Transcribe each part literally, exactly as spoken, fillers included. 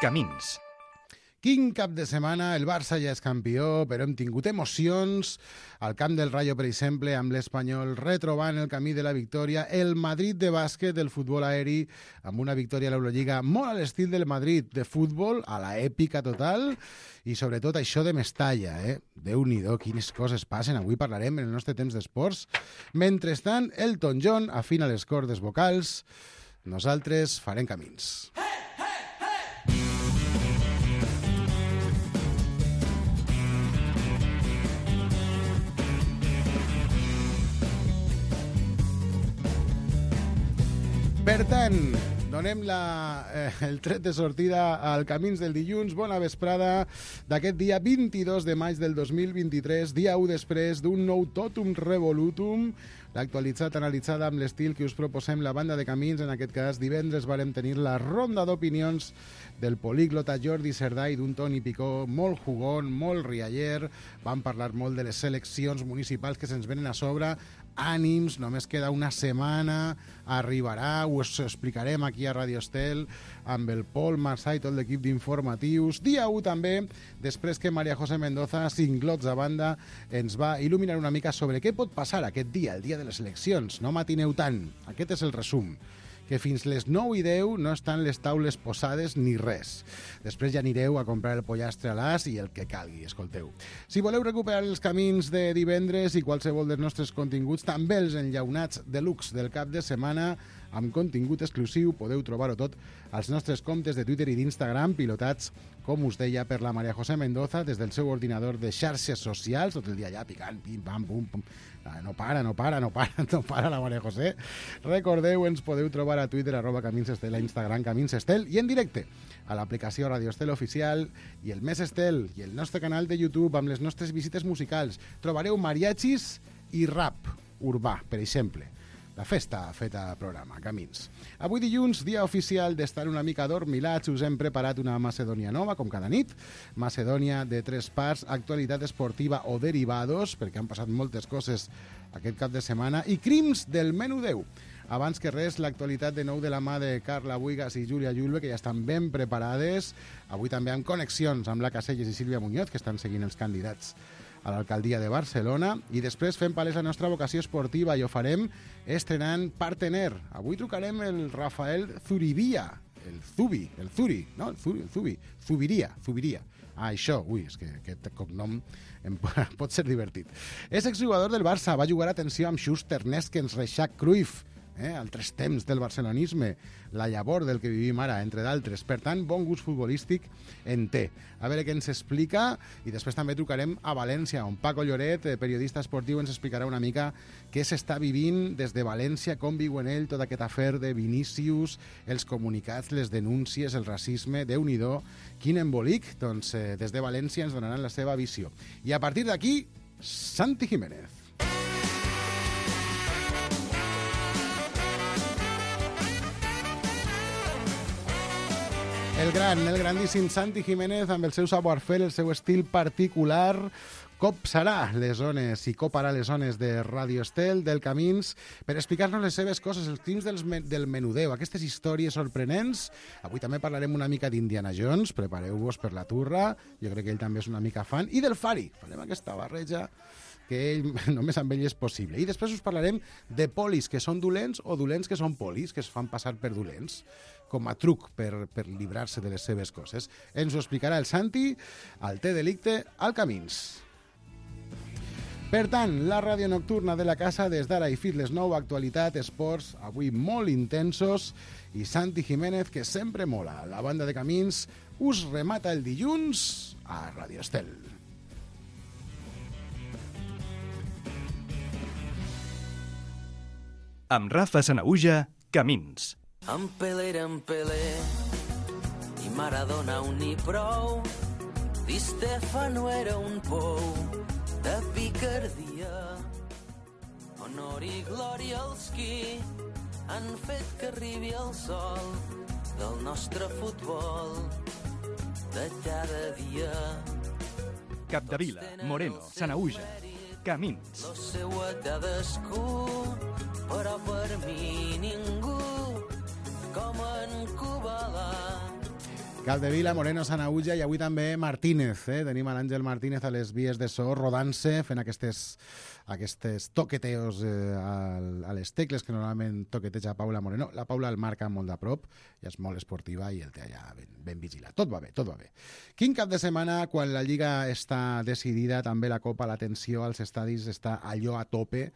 Camins. Quin cap de setmana, el Barça ja és campió, però hem tingut emocions al camp del Rayo, per exemple, amb l'Espanyol retrobant el camí de la victòria, el Madrid de bàsquet, del futbol aeri, amb una victòria a l'Eurolliga molt a l'estil del Madrid de futbol, a la èpica total, i sobretot això de Mestalla, eh? Déu-n'hi-do, quines coses passen, avui parlarem en el nostre temps d'esports. Mentrestant, Elton John afina les cordes vocals, nosaltres farem camins. Per tant, donem la, eh, el tret de sortida al Camins del dilluns. Bona vesprada d'aquest dia vint-i-dos de maig del dos mil vint-i-tres, dia u després d'un nou Totum Revolutum, l'actualitzat analitzada amb l'estil que us proposem la banda de Camins. En aquest cas, divendres varem tenir la ronda d'opinions del políglota Jordi Cerdà i d'un Toni Picó molt jugón, molt rialler. Vam parlar molt de les eleccions municipals que se'ns venen a sobre. Ànims, només queda una setmana, arribarà, us explicarem aquí a Radio Estel amb el Pol Marsà i tot l'equip d'informatius. Dia u també, després que María José Mendoza, cinglots a banda, ens va il·luminar una mica sobre què pot passar aquest dia, el dia de les eleccions. No matineu tant, aquest és el resum, que fins les nou i deu no estan les taules posades ni res. Després ja anireu a comprar el pollastre a l'as i el que calgui, escolteu. Si voleu recuperar els camins de divendres i qualsevol dels nostres continguts, també els enllaunats deluxe del cap de setmana, amb contingut exclusiu, podeu trobar-ho tot als nostres comptes de Twitter i d'Instagram, pilotats, com us deia, per la María José Mendoza, des del seu ordinador de xarxes socials, tot el dia allà picant, pim, pam, pum, pum. No para, no para, no para, no para la María José. Recordeu, ens podeu trobar a Twitter, arroba Camins Estel, a Instagram, Camins Estel, i en directe a l'aplicació Radio Estel Oficial i el Més Estel i el nostre canal de YouTube amb les nostres visites musicals. Trobareu mariachis i rap urbà, per exemple. La festa feta a programa, Camins. Avui dilluns, dia oficial d'estar una mica adormilats, us hem preparat una Macedònia nova, com cada nit. Macedònia de tres parts, actualitat esportiva o derivados, perquè han passat moltes coses aquest cap de setmana, i crims del menú deu. Abans que res, l'actualitat de nou de la mà de Carla Buigas i Júlia Julve, que ja estan ben preparades. Avui també amb connexions amb la Caselles i Sílvia Muñoz, que estan seguint els candidats a l'alcaldia de Barcelona, i després fem palès la nostra vocació esportiva i ho farem estrenant partener. Avui trucarem el Rafael Zuribia, el Zubi, el Zuri, no? El Zuri, el Zubi, Zubiria, Zubiria. Ah, això, ui, és que aquest cognom em pot ser divertit. És exjugador del Barça, va jugar, atenció, amb Schuster, Neskens, Reixac, Cruyff, eh? altres temps del barcelonisme, la llavor del que vivim ara, entre d'altres. Per tant, bon gust futbolístic en té. A veure què ens explica, i després també trucarem a València, on Paco Lloret, periodista esportiu, ens explicarà una mica què s'està vivint des de València, com viu en ell tot aquest afer de Vinícius, els comunicats, les denúncies, el racisme, Déu-n'hi-do, quin embolic. Doncs eh, des de València ens donaran la seva visió. I a partir d'aquí, Santi Jiménez. El gran, el grandíssim Santi Jiménez, amb el seu savoir-faire, el seu estil particular, copsarà les zones i coparà les zones de Radio Estel, del Camins, per explicar-nos les seves coses, els crims dels men del menudeu, aquestes històries sorprenents. Avui també parlarem una mica d'Indiana Jones, prepareu-vos per la turra, jo crec que ell també és una mica fan, i del Fari, farem aquesta barreja que ell, només amb ell és possible. I després us parlarem de polis que són dolents o dolents que són polis, que es fan passar per dolents, com a truc per, per librar-se de les seves coses. Ens ho explicarà el Santi, al Té Delicte, al Camins. Per tant, la ràdio nocturna de la casa des d'ara i fins les nou, actualitat, esports, avui molt intensos, i Santi Jiménez, que sempre mola. La banda de Camins us remata el dilluns a Radio Estel. Amb Rafa Sanaüja, Camins. En Pelé era en Pelé i Maradona un ni prou. Di Stefano era un pou de picardia. Honor i glòria als qui han fet que arribi el sol del nostre futbol de cada dia. Capdevila, Moreno, Sanaüja, Camins. Lo seu a cadascú, però per mi ningú com en Kubalà. Capdevila, Moreno, Sanaüja i avui també Martínez. Eh? Tenim a l'Àngel Martínez a les vies de so, rodant-se, fent aquestes, aquestes toqueteos eh, a les tecles que normalment toqueteja Paula Moreno. La Paula el marca molt de prop, ja és molt esportiva i el té allà ben, ben vigilat. Tot va bé, tot va bé. Quin cap de setmana, quan la Lliga està decidida, també la Copa, la tensió als estadis està allò a tope.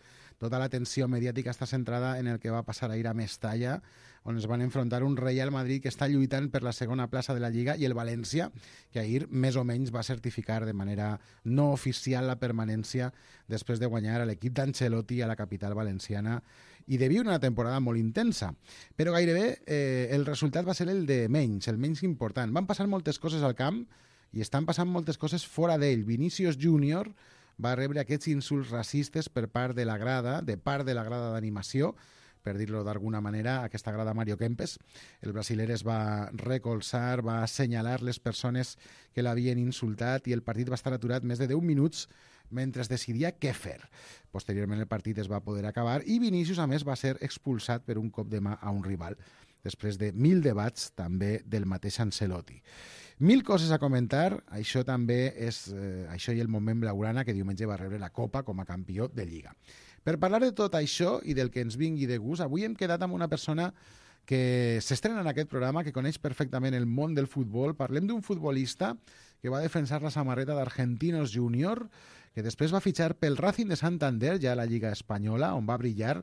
Tota la tensió mediàtica està centrada en el que va passar ahir a Mestalla, on es van enfrontar un Real Madrid que està lluitant per la segona plaça de la Lliga i el València, que ahir més o menys va certificar de manera no oficial la permanència després de guanyar a l'equip d'Ancelotti a la capital valenciana i de viure una temporada molt intensa. Però gairebé eh, el resultat va ser el de menys, el menys important. Van passar moltes coses al camp i estan passant moltes coses fora d'ell. Vinícius Júnior va rebre aquests insults racistes per part de la grada, de part de la grada d'animació, per dir-lo d'alguna manera, aquesta grada Mario Kempes. El brasiler es va recolzar, va assenyalar les persones que l'havien insultat i el partit va estar aturat més de deu minuts mentre es decidia què fer. Posteriorment el partit es va poder acabar i Vinícius, a més, va ser expulsat per un cop de mà a un rival, després de mil debats també del mateix Ancelotti. Mil coses a comentar, això també és eh, això i el moment blaugrana que diumenge va rebre la Copa com a campió de Lliga. Per parlar de tot això i del que ens vingui de gust, avui hem quedat amb una persona que s'estrena en aquest programa, que coneix perfectament el món del futbol. Parlem d'un futbolista que va defensar la samarreta d'Argentinos Júnior, que després va fitxar pel Racing de Santander, ja a la Lliga Espanyola, on va brillar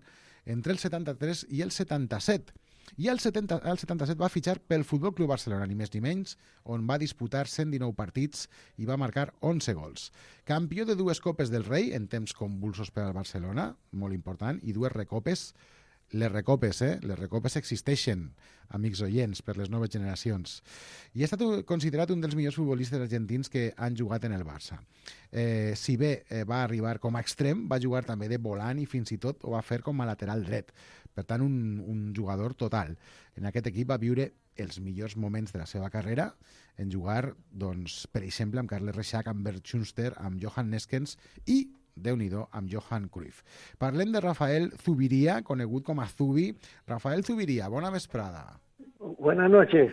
entre el setanta-tres i el setanta-set. I al setanta, al setanta-set va fitxar pel Futbol Club Barcelona, ni més ni menys, on va disputar cent dinou partits i va marcar onze gols. Campió de dues Copes del Rei, en temps convulsos per al Barcelona, molt important, i dues recopes. Les recopes, eh? Les recopes existeixen, amics oients, per les noves generacions. I ha estat considerat un dels millors futbolistes argentins que han jugat en el Barça. Eh, si bé eh, va arribar com a extrem, va jugar també de volant i fins i tot ho va fer com a lateral dret. Per tant, un, un jugador total. En aquest equip va viure els millors moments de la seva carrera en jugar, doncs, per exemple, amb Carles Reixac, amb Bert Schuster, amb Johan Neskens i, déu-n'hi-do, amb Johan Cruyff. Parlem de Rafael Zuviría, conegut com a Zubi. Rafael Zuviría, bona vesprada. Buenas noches.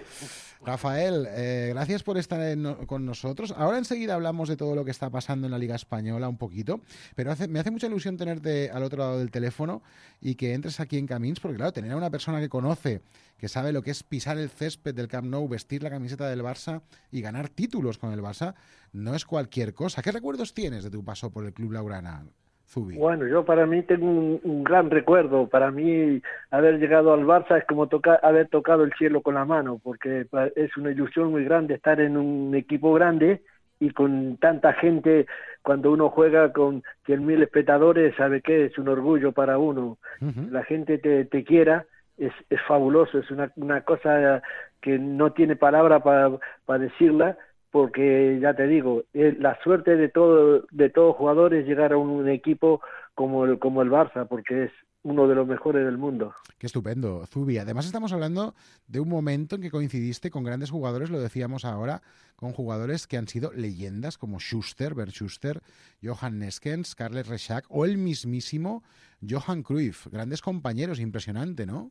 Rafael, eh, gracias por estar en, con nosotros. Ahora enseguida hablamos de todo lo que está pasando en la Liga Española un poquito, pero hace, me hace mucha ilusión tenerte al otro lado del teléfono y que entres aquí en Camins, porque claro, tener a una persona que conoce, que sabe lo que es pisar el césped del Camp Nou, vestir la camiseta del Barça y ganar títulos con el Barça, no es cualquier cosa. ¿Qué recuerdos tienes de tu paso por el Club Blaugrana, Zubi? Bueno, yo para mí tengo un, un gran recuerdo. Para mí haber llegado al Barça es como toca, haber tocado el cielo con la mano, porque es una ilusión muy grande estar en un equipo grande y con tanta gente. Cuando uno juega con cien mil espectadores, sabe que es un orgullo para uno. Uh-huh. La gente te, te quiera, es, es fabuloso, es una, una cosa que no tiene palabra para pa decirla. Porque ya te digo, la suerte de todo de todo jugador es llegar a un equipo como el, como el Barça, porque es uno de los mejores del mundo. Qué estupendo, Zubi. Además estamos hablando de un momento en que coincidiste con grandes jugadores, lo decíamos ahora, con jugadores que han sido leyendas como Schuster, Bert Schuster, Johan Neskens, Carles Reixac o el mismísimo Johan Cruyff. Grandes compañeros, impresionante, ¿no?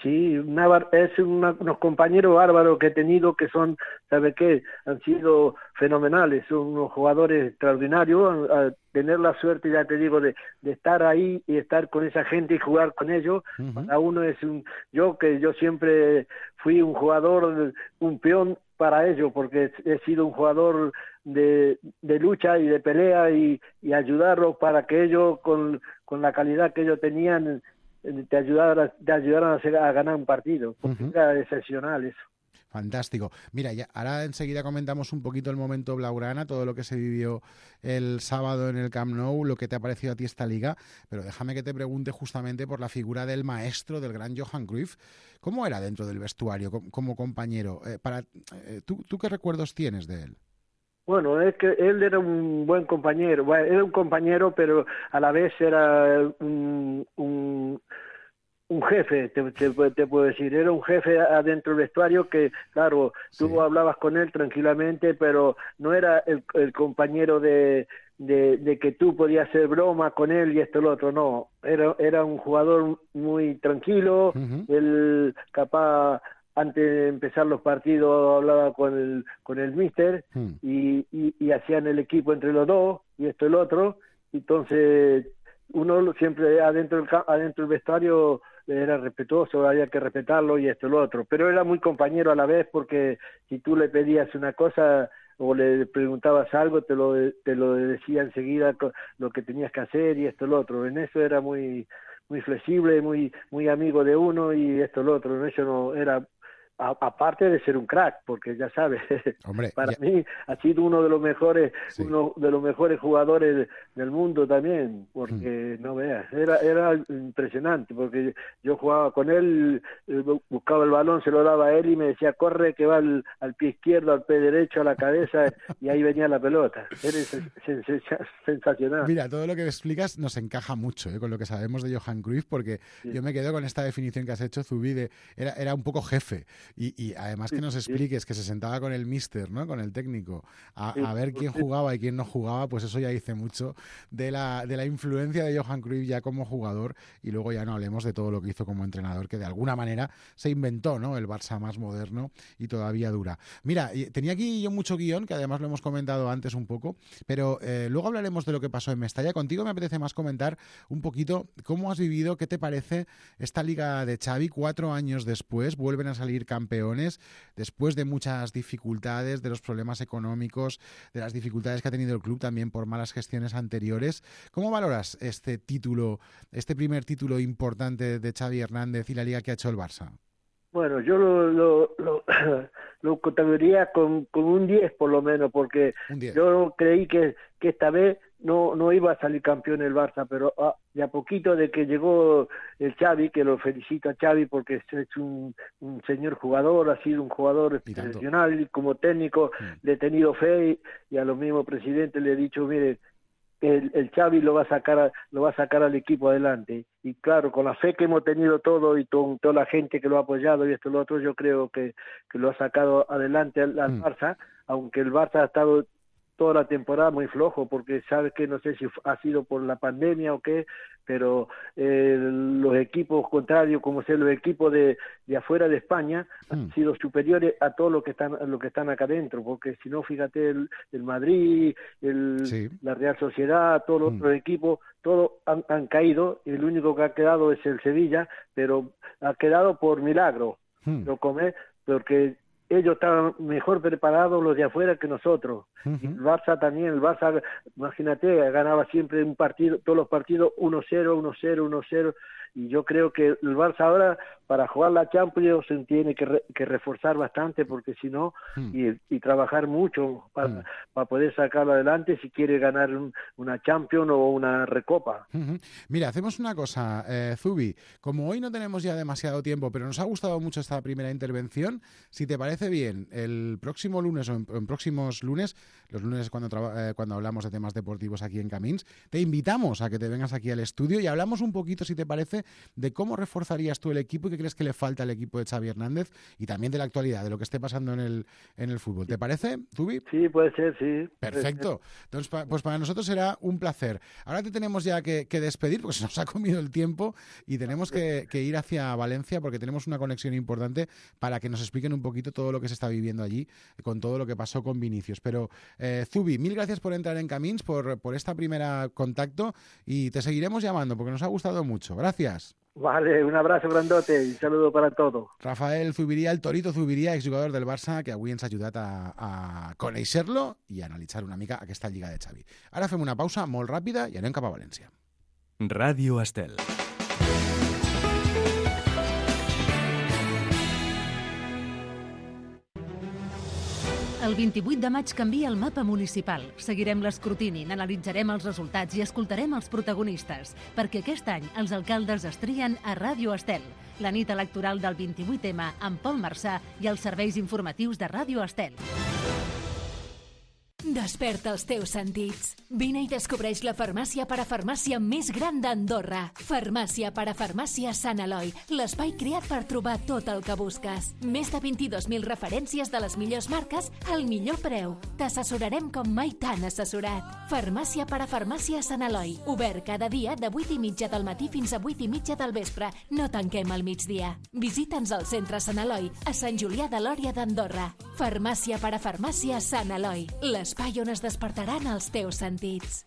Sí, una, es una, unos compañeros bárbaros que he tenido que son, ¿sabe qué? Han sido fenomenales, son unos jugadores extraordinarios. A, a tener la suerte, ya te digo, de, de estar ahí y estar con esa gente y jugar con ellos, uh-huh. Para uno es un... Yo que yo siempre fui un jugador, un peón para ellos, porque he sido un jugador de, de lucha y de pelea y, y ayudarlos para que ellos, con, con la calidad que ellos tenían, te ayudaran, te ayudaran a, hacer, a ganar un partido. Porque uh-huh. Era excepcional eso. Fantástico. Mira, ya, ahora enseguida comentamos un poquito el momento blaugrana, todo lo que se vivió el sábado en el Camp Nou, lo que te ha parecido a ti esta liga, pero déjame que te pregunte justamente por la figura del maestro, del gran Johan Cruyff. ¿Cómo era dentro del vestuario como, como compañero? Eh, para, eh, ¿tú, ¿Tú qué recuerdos tienes de él? Bueno, es que él era un buen compañero, bueno, era un compañero, pero a la vez era un, un, un jefe, te, te, te puedo decir, era un jefe adentro del vestuario que, claro, tú sí. hablabas con él tranquilamente, pero no era el, el compañero de, de, de que tú podías hacer broma con él y esto y lo otro, no, era, era un jugador muy tranquilo, uh-huh. él capaz antes de empezar los partidos hablaba con el con el míster Mm. y, y, y hacían el equipo entre los dos y esto y el otro. Entonces uno siempre adentro del, ca- adentro del vestuario era respetuoso, había que respetarlo y esto y lo otro, pero era muy compañero a la vez, porque si tú le pedías una cosa o le preguntabas algo, te lo te lo decía enseguida co- lo que tenías que hacer y esto y lo otro. En eso era muy muy flexible, muy muy amigo de uno y esto y lo otro. En eso no era, a- aparte de ser un crack, porque ya sabes, Hombre, para ya- mí ha sido uno de los mejores, Sí. uno de los mejores jugadores del mundo también, porque no veas, era era impresionante, porque yo jugaba con él, eh, buscaba el balón, se lo daba a él y me decía, corre que va al, al pie izquierdo, al pie derecho, a la cabeza, y ahí venía la pelota. Era sen- sen- sensacional. Mira, todo lo que explicas nos encaja mucho, ¿eh? Con lo que sabemos de Johan Cruyff, porque Sí. yo me quedo con esta definición que has hecho, Zubi, de era, era un poco jefe. Y, y además que nos Sí. expliques que se sentaba con el míster, ¿no? Con el técnico, a, Sí. a ver quién jugaba y quién no jugaba, pues eso ya dice mucho de la, de la influencia de Johan Cruyff ya como jugador, y luego ya no hablemos de todo lo que hizo como entrenador, que de alguna manera se inventó, ¿no? El Barça más moderno y todavía dura. Mira, y tenía aquí yo mucho guión, que además lo hemos comentado antes un poco, pero eh, luego hablaremos de lo que pasó en Mestalla. Contigo me apetece más comentar un poquito cómo has vivido, qué te parece esta Liga de Xavi. Cuatro años después vuelven a salir campeones, después de muchas dificultades, de los problemas económicos, de las dificultades que ha tenido el club también por malas gestiones anteriores. ¿Cómo valoras este título, este primer título importante de Xavi Hernández y la Liga que ha hecho el Barça? Bueno, yo lo, lo, lo, lo categoría con, con un diez por lo menos, porque Un diez. yo creí que, que esta vez no no iba a salir campeón el Barça, pero ah, de a poquito de que llegó el Xavi, que lo felicito a Xavi porque es, es un, un señor jugador, ha sido un jugador Y tanto. profesional y como técnico Mm. le he tenido fe y, y a los mismos presidentes le he dicho, mire, el, el Xavi lo va a sacar a- lo va a sacar al equipo adelante, y claro, con la fe que hemos tenido todo y con toda la gente que lo ha apoyado y esto y lo otro, yo creo que, que lo ha sacado adelante al, al Mm. Barça, aunque el Barça ha estado toda la temporada muy flojo, porque sabes que no sé si ha sido por la pandemia o qué, pero eh, los equipos contrarios, como sea los equipos de, de afuera de España, Mm. han sido superiores a todos los que están a los que están acá adentro, porque si no, fíjate, el, el Madrid, el, Sí. la Real Sociedad, todos los Mm. otros equipos, todos han, han caído, y el único que ha quedado es el Sevilla, pero ha quedado por milagro, Mm. lo come, porque ellos estaban mejor preparados los de afuera que nosotros. Y el Ujú. Barça también, el Barça, imagínate, ganaba siempre un partido, todos los partidos uno cero, uno cero, uno cero, y yo creo que el Barça ahora, para jugar la Champions, se tiene que, re- que reforzar bastante, porque si no, Mm. y, y trabajar mucho para, Mm. para poder sacarlo adelante si quiere ganar un- una Champions o una Recopa. Ujú. Mira, hacemos una cosa, eh, Zubi, como hoy no tenemos ya demasiado tiempo, pero nos ha gustado mucho esta primera intervención, si te parece bien, el próximo lunes o en, en próximos lunes, los lunes cuando, traba- eh, cuando hablamos de temas deportivos aquí en Camins, te invitamos a que te vengas aquí al estudio y hablamos un poquito, si te parece, de cómo reforzarías tú el equipo y qué crees que le falta al equipo de Xavi Hernández, y también de la actualidad, de lo que esté pasando en el, en el fútbol. ¿Te parece, Zubi? Sí, puede ser, sí. puede ser. Perfecto. Entonces, pa- pues para nosotros será un placer. Ahora te tenemos ya que, que despedir porque se nos ha comido el tiempo y tenemos que, que ir hacia Valencia porque tenemos una conexión importante para que nos expliquen un poquito todo lo que se está viviendo allí con todo lo que pasó con Vinicius. Pero, eh, Zubi, mil gracias por entrar en Camins, por, por esta primera contacto, y te seguiremos llamando porque nos ha gustado mucho. Gracias. Vale, un abrazo grandote y un saludo para todos. Rafael Zubiria, el Torito Zubiria, exjugador del Barça, que avui ens ha ajudat a, a conèixer-lo i a analitzar una mica aquesta Lliga de Xavi. Ara fem una pausa molt ràpida i anem cap a València. Ràdio Estel. El vint-i-vuit de maig canvia el mapa municipal. Seguirem l'escrutini, n'analitzarem els resultats i escoltarem els protagonistes, perquè aquest any els alcaldes es trien a Ràdio Estel, la nit electoral del vint-i-vuit ema amb Pol Marçà i els serveis informatius de Ràdio Estel. Desperta els teus sentits. Vine i descobreix la farmàcia parafarmàcia més gran d'Andorra. Farmàcia parafarmàcia Sant Eloi, l'espai creat per trobar tot el que busques. Més de vint-i-dos mil referències de les millors marques al millor preu. T'assessorarem com mai t'han assessorat. Farmàcia parafarmàcia Sant Eloi, obert cada dia de vuit i mitja del matí fins a vuit i mitja del vespre. No tanquem al migdia. Visita'ns al centre Sant Eloi, a Sant Julià de Lòria d'Andorra. Farmàcia parafarmàcia Sant Eloi, l'espai on es despertaran els teus sentits.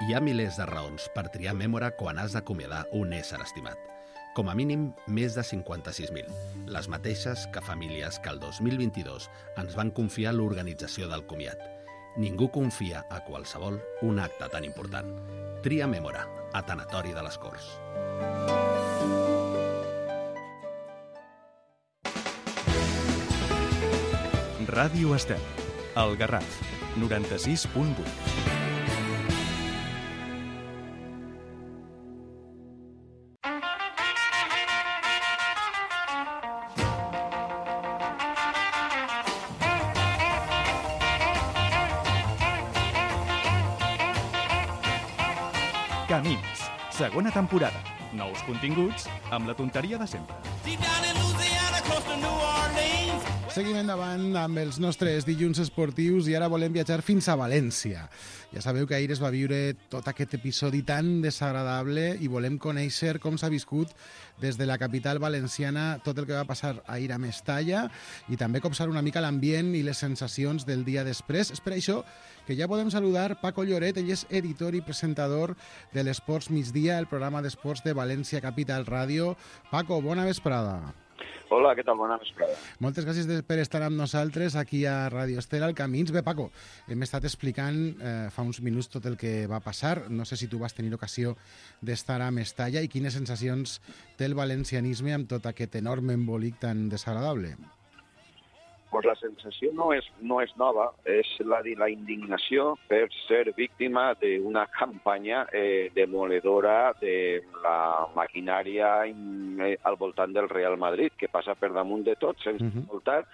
Hi ha milers de raons per triar Mémora quan has d'acomiadar un ésser estimat. Com a mínim, més de cinquanta-sis mil. Les mateixes que famílies que el dos mil vint-i-dos ens van confiar l'organització del comiat. Ningú confia a qualsevol un acte tan important. Tria Mémora, a Tanatori de les Corts. Ràdio Estel, El Garraf, noranta-sis punt vuit. Camins, segona temporada. Nous continguts amb la tonteria de sempre. Seguim endavant amb els nostres dilluns esportius i ara volem viatjar fins a València. Ja sabeu que ahir es va viure tot aquest episodi tan desagradable i volem conèixer com s'ha viscut des de la capital valenciana tot el que va passar ahir a Mestalla i també copsar una mica l'ambient i les sensacions del dia després. És per això que ja podem saludar Paco Lloret, ell és editor i presentador de l'Esports Migdia, el programa d'esports de València Capital Ràdio. Paco, bona vesprada. Hola, què tal? Bona vesprada. Moltes gràcies per estar amb nosaltres aquí a Ràdio Estel al Camins. Bé, Paco, hem estat explicant eh, fa uns minuts tot el que va passar. No sé si tu vas tenir ocasió d'estar a Mestalla i quines sensacions té el valencianisme amb tot aquest enorme embolic tan desagradable. Pues la sensació no és, no és nova, és la de la indignació per ser víctima d'una campanya eh, demoledora de la maquinària eh, al voltant del Real Madrid, que passa per damunt de tot, sense uh-huh. voltar,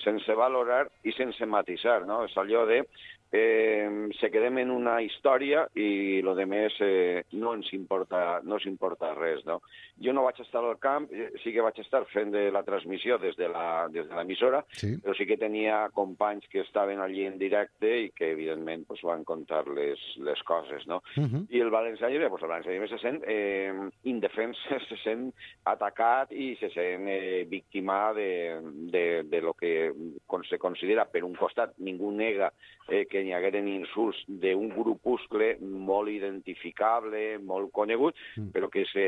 sense valorar i sense matisar, no? És allò de eh, se quedem en una història i lo de més eh, no ens importa, no ens importa res, no? Jo no vaig estar al camp, sí que vaig estar fent de la transmissió des de la, des de l'emissora, sí. Però sí que tenia companys que estaven allí en directe i que, evidentment, pues, van contar les, les coses, no? Uh-huh. I el valencianisme, pues, el valencianisme se sent eh, indefens, se sent atacat i se sent eh, víctima de, de, de lo que se considera, per un costat, ningú nega eh, que n'hi hagueren insults d'un grupuscle molt identificable, molt conegut, uh-huh. però que se,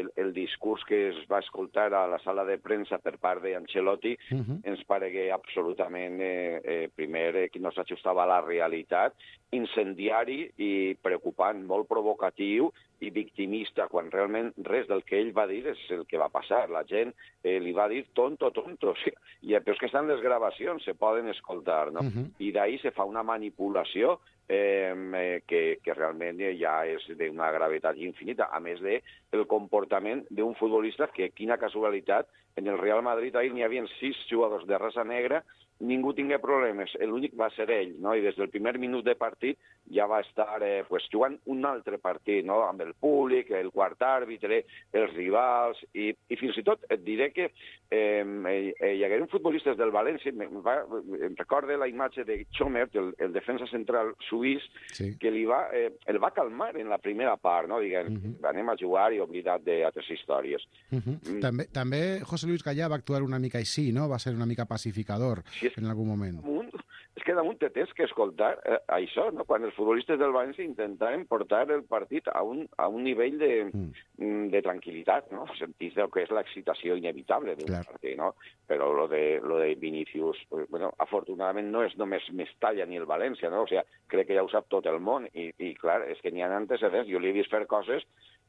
el, el discurs que es va escoltar a la sala de premsa per part d'Ancelotti uh-huh. ens paregué absolutament, eh, eh, primer, eh, que no s'ajustava a la realitat, incendiari i preocupant, molt provocatiu i victimista, quan realment res del que ell va dir és el que va passar. La gent eh, li va dir tonto, tonto. Sí. I, però és que estan les gravacions, se poden escoltar, no? Uh-huh. I d'ahir se fa una manipulació eh, eh, que, que realment ja és d'una gravetat infinita, a més de el comportament d'un futbolista que, quina casualitat, en el Real Madrid ahir n'hi havia sis jugadors de raça negra, ningú tingué problemes, l'únic va ser ell, no? I des del primer minut de partit ja va estar eh, pues, jugant un altre partit, no? Amb el públic, el quart àrbitre, els rivals, i, i fins i tot et diré que eh, eh, hi hagueren futbolistes del València, em, va, em recorde la imatge de Chomert, el, el defensa central suís, sí. que li va, eh, el va calmar en la primera part, no? Diguem, uh-huh. anem a jugar i oblidat d'altres històries. Uh-huh. Mm. També, també José Luis Gallà va actuar una mica així, no? Va ser una mica pacificador. Sí, en algun moment. Damunt, és que damunt te tens que escoltar eh, això, no? Quan els futbolistes del València intentaven portar el partit a un, a un nivell de, mm. de tranquil·litat, no? Sentís el que és l'excitació inevitable d'un partit, no? Però lo de, lo de Vinícius, pues, bueno, afortunadament no és només Mestalla ni el València, no? O sigui, crec que ja ho sap tot el món i, i clar, és que n'hi ha antecedents, jo li he vist fer coses.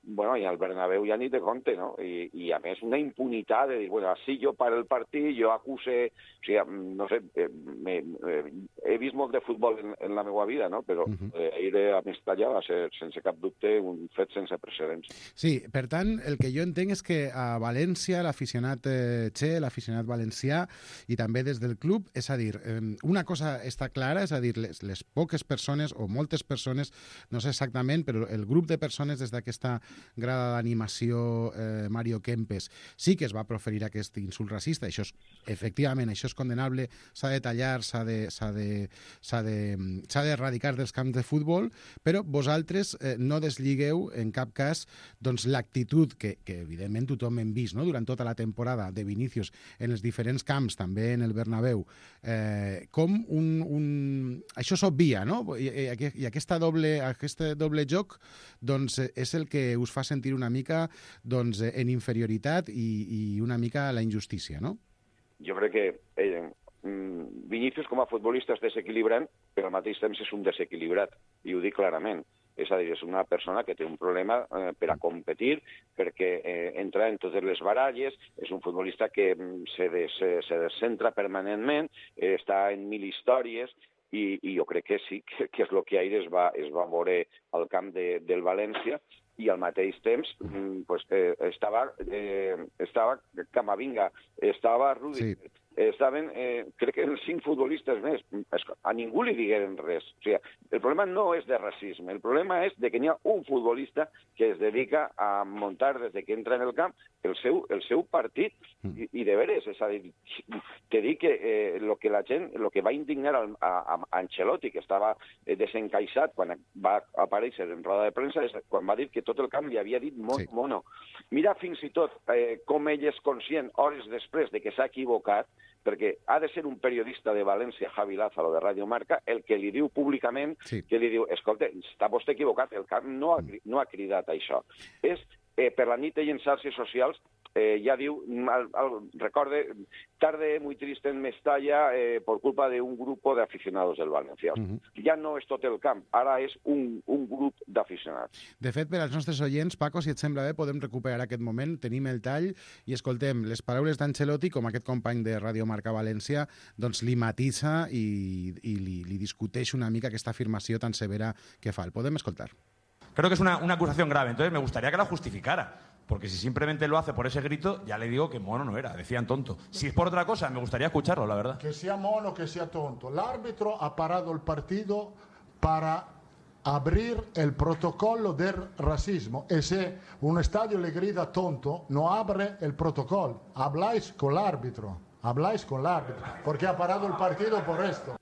Bueno, i al Bernabéu ja ni te compte, no? I, i a més una impunitat de dir, bueno, si jo paro el partit, jo acuse, o sigui, no sé, eh, me, eh, he vist molt de futbol en, en la meva vida, no? Però uh-huh. eh, ahir a Mestalla va ser, sense cap dubte, un fet sense precedents. Sí, per tant, el que jo entenc és que a València l'aficionat eh, Che, l'aficionat valencià, i també des del club, és a dir, eh, una cosa està clara, és a dir, les, les poques persones, o moltes persones, no sé exactament, però el grup de persones des d'aquesta grada d'animació eh, Mario Kempes sí que es va proferir aquest insult racista. Això és, efectivament, això és condenable, s'ha de tallar, s'ha de, s'ha de, s'ha de, s'ha d'erradicar dels camps de futbol, però vosaltres eh, no desligueu en cap cas doncs, l'actitud que, que evidentment tothom hem vist, no? Durant tota la temporada de Vinícius en els diferents camps, també en el Bernabéu, eh, com un, un... això s'obvia, no? I, i, i aquesta doble, aquest doble joc doncs, és el que us fa sentir una mica doncs, en inferioritat i, i una mica la injustícia, no? Jo crec que eh, Vinícius com a futbolista és desequilibrant, però al mateix temps és un desequilibrat, i ho dic clarament. És a dir, és una persona que té un problema eh, per a competir, perquè eh, entra en totes les baralles, és un futbolista que se, des, se descentra permanentment, eh, està en mil històries, i, i jo crec que sí, que, que és el que ahir es va, es va veure al camp de, del València, i al mateix temps pues, eh, estava, eh, estava Camavinga, estava Rudi, sí. Estaven, eh, crec que els cinc futbolistes més, a ningú li digueren res. O sigui, el problema no és de racisme, el problema és de que n'hi ha un futbolista que es dedica a muntar des de que entra en el camp el seu, el seu partit, i, i de veres, és a dir, te dic que eh, lo que la gent, lo que va indignar a, a, a Ancelotti, que estava eh, desencaixat quan va aparèixer en roda de premsa, és quan va dir que tot el camp li havia dit mono, sí. mono. Mira fins i tot eh, com ell és conscient, hores després de que s'ha equivocat, perquè ha de ser un periodista de València, Javi Lázaro, de Radio Marca, el que li diu públicament, sí. que li diu, escolta, està vostè equivocat, el camp no ha, no ha cridat això. És, eh, per la nit i en xarxes socials, eh, ja diu, al, al, recorde, tarde muy triste en Mestalla eh, por culpa de un grupo de aficionados del València. Uh-huh. Ja no és tot el camp, ara és un, un grup d'aficionats. De fet, per als nostres oients, Paco, si et sembla bé, podem recuperar aquest moment, tenim el tall i escoltem les paraules d'Ancelotti, com aquest company de Radio Marca València, doncs li matisa i, i li, li discuteix una mica aquesta afirmació tan severa que fa. El podem escoltar. Creo que es una, una acusación grave, entonces me gustaría que la justificara. Porque si simplemente lo hace por ese grito, ya le digo que mono no era, decían tonto. Si es por otra cosa, me gustaría escucharlo, la verdad. Que sea mono, que sea tonto. El árbitro ha parado el partido para abrir el protocolo del racismo. Y si un estadio le grita tonto, no abre el protocolo. Habláis con el árbitro, habláis con el árbitro, porque ha parado el partido por esto.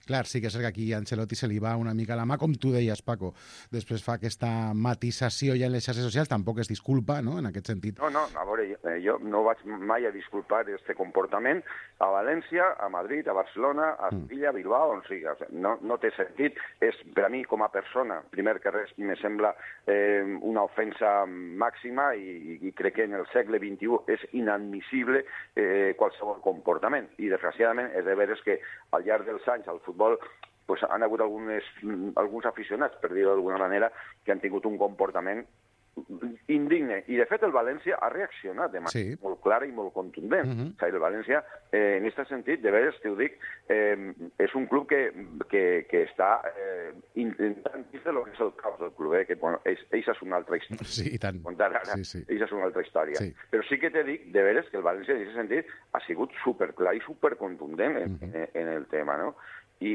Clar, sí que és que aquí a Ancelotti se li va una mica la mà, com tu deies, Paco. Després fa aquesta matisació ja en les xarxes socials, tampoc es disculpa, no?, en aquest sentit. No, no, a veure, jo no vaig mai a disculpar aquest comportament a València, a Madrid, a Barcelona, a Sevilla, a Bilbao, on sigui. No, no té sentit. És, per a mi, com a persona, primer que res, me sembla eh, una ofensa màxima i, i crec que en el segle vint-i-u és inadmissible eh, qualsevol comportament. I, desgraciadament, és de veres que al llarg dels anys al futbol pues, han hagut algunes, alguns aficionats, per dir-ho d'alguna manera, que han tingut un comportament indigne. I, de fet, el València ha reaccionat de manera sí. molt clara i molt contundent. Uh-huh. O sigui, el València, eh, en aquest sentit, de veres, t'ho dic, eh, és un club que, que, que està eh, intentant dir el que és el caos del club, eh, que, bueno, eixa és una altra història. Sí, i tant. Ara, sí, sí. Eixa és una altra història. Sí. Però sí que te dic, de veres, que el València, en aquest sentit, ha sigut superclar i supercontundent en, uh-huh. en, en el tema, no? I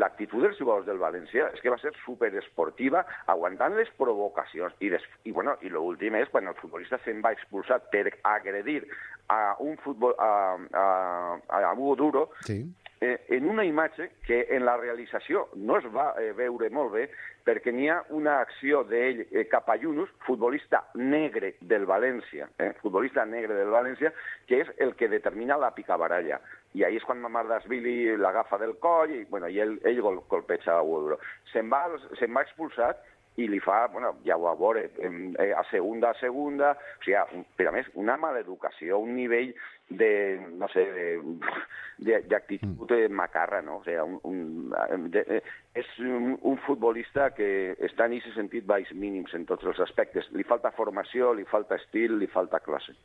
l'actitud dels jugadors del València és que va ser superesportiva, aguantant les provocacions. I, des, i, bueno, i l'últim és quan el futbolista se'n va expulsar per agredir a un futbol, a, a, a Hugo Duro, sí. eh, en una imatge que en la realització no es va eh, veure molt bé, perquè n'hi ha una acció d'ell eh, cap a Yunus, futbolista negre del València, eh, futbolista negre del València, que és el que determina la picabaralla. I ahí és quan Mamardashvili l'agafa del coll i, bueno, i ell, ell gol, golpeja a Udro. Se'n va, se'n va expulsat i li fa, bueno, ja ho va veure, a segunda, a segunda, o sigui, per a més, una maleducació, un nivell de, no sé, de, de actitud mm. macarra, ¿no? O sea, un, un, de, és un, un futbolista que està en aquest sentit baix mínims en tots els aspectes. Li falta formació, li falta estil, li falta classe.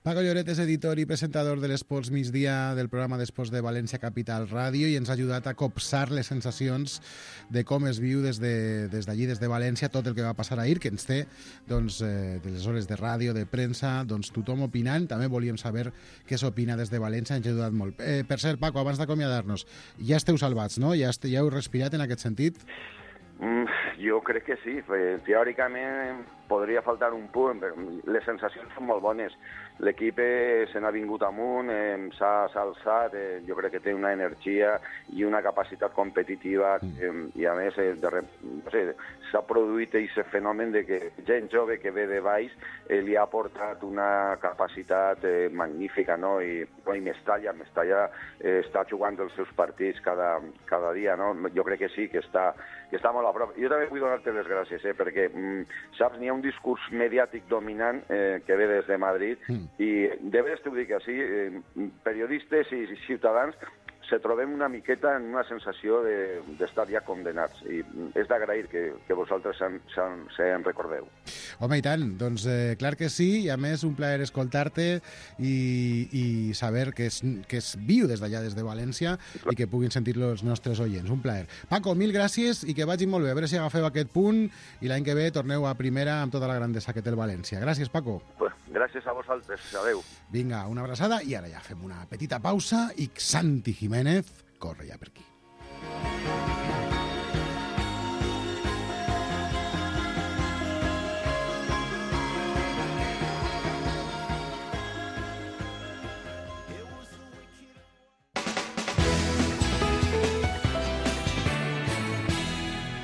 Paco Lloret és editor i presentador de l'Esports Migdia del programa d'Esports de València Capital Ràdio i ens ha ajudat a copsar les sensacions de com es viu des d'allí, de, des, des de València, tot el que va passar ahir, que ens té doncs, eh, de les hores de ràdio, de premsa, doncs tothom opinant. També volíem saber què s'opina des de València, ens ha ajudat molt. Eh, per cert, Paco, abans d'acomiadar-nos, ja esteu salvats, no? Ja, este, ja heu respirat en aquest sentit? Mm, jo crec que sí. Teòricament podria faltar un punt, però les sensacions són molt bones. L'equip eh, se n'ha vingut amunt, eh, s'ha alçat, eh, jo crec que té una energia i una capacitat competitiva eh, i a més eh, de, no sé, s'ha produït aquest fenomen de que gent jove que ve de baix eh, li ha portat una capacitat eh, magnífica, no? I, no, i Mestalla, Mestalla eh, està jugant els seus partits cada, cada dia, no? Jo crec que sí, que està, que està molt a prop. Jo també vull donar-te les gràcies, eh, perquè, mm, saps, n'hi ha un discurs mediàtic dominant eh, que ve des de Madrid mm. i de veres t'ho dic així, eh, periodistes i ciutadans se trobem una miqueta en una sensació d'estar de, ja condenats i és d'agrair que, que vosaltres se'n se, se en recordeu. Home, i tant, doncs eh, clar que sí, i a més un plaer escoltar-te i, i saber que es, que es viu des d'allà, des de València, i que puguin sentir-lo els nostres oients. Un plaer. Paco, mil gràcies i que vagi molt bé. A veure si agafeu aquest punt i l'any que ve torneu a primera amb tota la grandesa que té el València. Gràcies, Paco. Pues, gràcies a vosaltres. Adéu. Vinga, una abraçada i ara ja fem una petita pausa i Santi Jiménez corre ja per aquí.